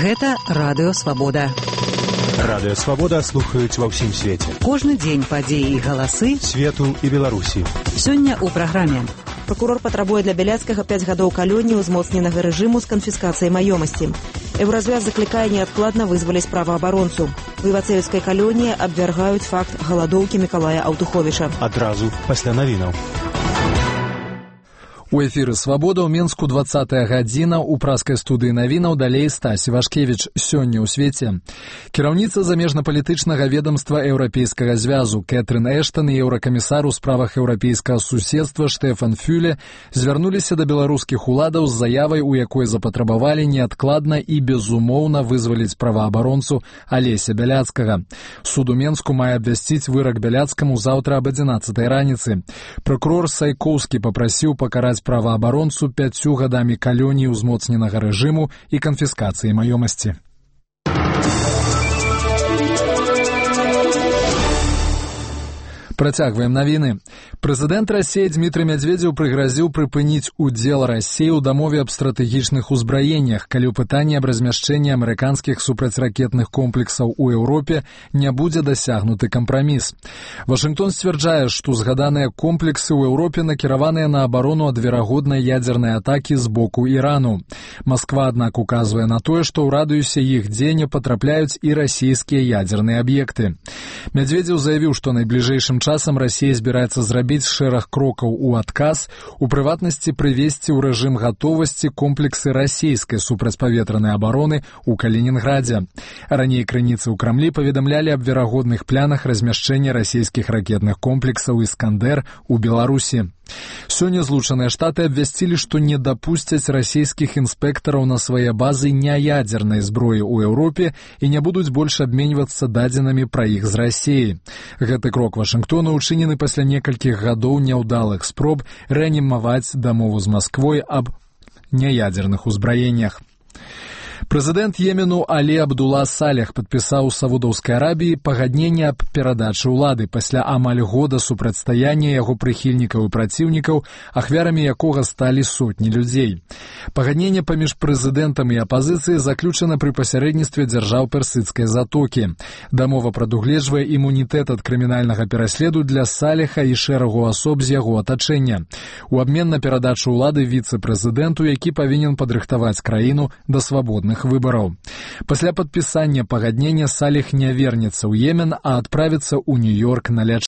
Гэта Радыё Свабода. Радыё Свабода слухаюць ва ўсім свеце. Кожны дзень падзеі і галасы свету і Беларусі. Сёння ў праграме. Прокурор патрабуе для Бяляцкага 5 гадоў калоніі ўзмоцненага рэжыму з канфіскацыяй маёмасці. Еўразвяз заклікае неадкладна вызваліць праваабаронцу. У івацэўскай калоніі абвяргаюць факт галадоўкі Мікалая Аўтуховіча. Адразу пасля навінаў. У эфіры «Свабода» ў Менску 20-я гадзіна, у праскай студыі навінаў далей Стась Івашкевіч. Сёння ў свеце. Кіраўніца замежнапалітычнага ведамства Еўрапейскага звязу Кэтрын Эштон і еўракамісар у справах еўрапейскага суседства Штефан Фюле звярнуліся да беларускіх уладаў з заявай, у якой запатрабавалі неадкладна і безумоўна вызваліць праваабаронцу Алеся Бяляцкага. Суд у Менску мае абвясціць вырак Бяляцкаму заўтра аб 11-й раніцы. Прокурор Сайкоўскі папрасіў пакараць праваабаронцу 5 гадамі калоніі ўзмоцненага рэжыму і канфіскацыі маёмасці. Працягваем навіны. Прэзідэнт Расіі Дмітрый Мядзведзеў прыгразіў прыпыніць удзел Расіі ў дамове аб стратэгічных узбраеннях, калі ў пытанні аб размяшчэнні амерыканскіх супрацьракетных комплексаў у Еўропе не будзе дасягнуты кампраміс. Вашынгтон сцвярджае, што згаданыя комплексы ў Еўропе накіраваныя на абарону ад верагоднай ядзернай атакі з боку Ірану. Масква, аднак, указвае на тое, што ў радыусе іх дзеяння патрапляюць і расійскія ядзерныя аб'екты. Мядзведзеў заявіў, што найбліжэйшым часам Расія збіраецца зрабіць шэраг крокаў у адказ, у прыватнасці прывесці ў рэжым гатовасці комплексы расійскай супрацьпаветранай абароны ў Калінінградзе. Раней крыніцы ў Крамлі паведамлялі аб верагодных планах размяшчэння расійскіх ракетных комплексаў «Іскандэр» у Беларусі. Сёння Злучаныя Штаты абвясцілі, што не дапусцяць расійскіх інспектараў на свае базы няядзернай зброі ў Еўропе і не будуць больш абменьвацца дадзенымі пра іх з Расіі. Гэты крок Вашынгтона учынены пасля некалькіх гадоў няўдалых спроб рэанімаваць дамову з Масквой аб няядзерных узбраеннях. Прэзідэнт Йемену Алі Абдула Салех падпісаў з Саудаўскай Арабіі пагадненне аб перадачы ўлады пасля амаль года супрацьстаяння яго прыхільнікаў і праціўнікаў, ахвярамі якога сталі сотні людзей. Пагадненне паміж прэзідэнтам і апазіцыяй заключана пры пасярэдніцтве дзяржаў Персідскай затокі. Дамова прадугледжвае імунітэт ад крымінальнага пераследу для Салеха і шэрагу асоб з яго атачэння. У абмен на перадачу ўлады віцэ-прэзідэнту, які павінен падрыхтаваць краіну да свабодных выбараў. Пасля падпісання пагаднення Салех не вернецца ў Йемен, а адправіцца ў Нью-Йорк на лячэнне.